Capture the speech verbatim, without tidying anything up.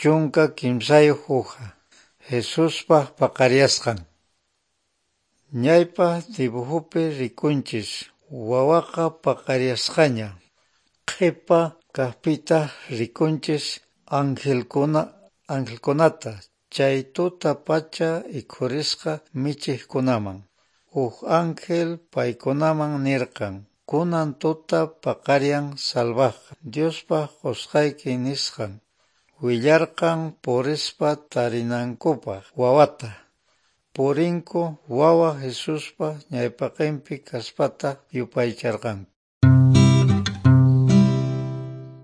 Chunka kimsayuq uha. Jesuspa paqarisqan. Ñawpa dibuhupi rikunchis wawaqa paqarisqaña. Qhipa kaqpitaq rikunchis anhilkuna anhilkunata chay tuta pacha ikhurisqa michiqkunaman. Huk ángel paykunaman nirqan kunan tuta paqariyan salvaqqa Diospa qusqayki nisqan. Willarqan purispa tarinankupaq wawata. Purinku wawa Jesuspa ñawpaqinpi kaspataq yupaycharqanku.